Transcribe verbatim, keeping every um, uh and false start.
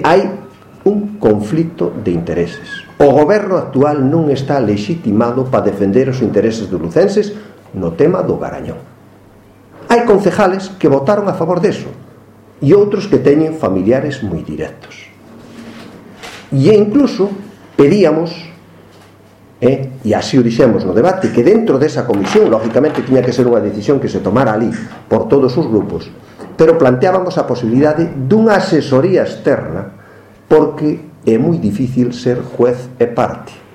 hai un conflito de intereses. O goberno actual non está legitimado para defender os intereses dos lucenses no tema do Garañón. Hai concejales que votaron a favor deso e outros que teñen familiares moi directos. E incluso pedíamos, eh, e así o dixemos no debate, que dentro desa comisión, lógicamente tiña que ser unha decisión que se tomara ali por todos os grupos, pero planteábamos a posibilidade dunha asesoría externa, porque é moi difícil ser juez e parte.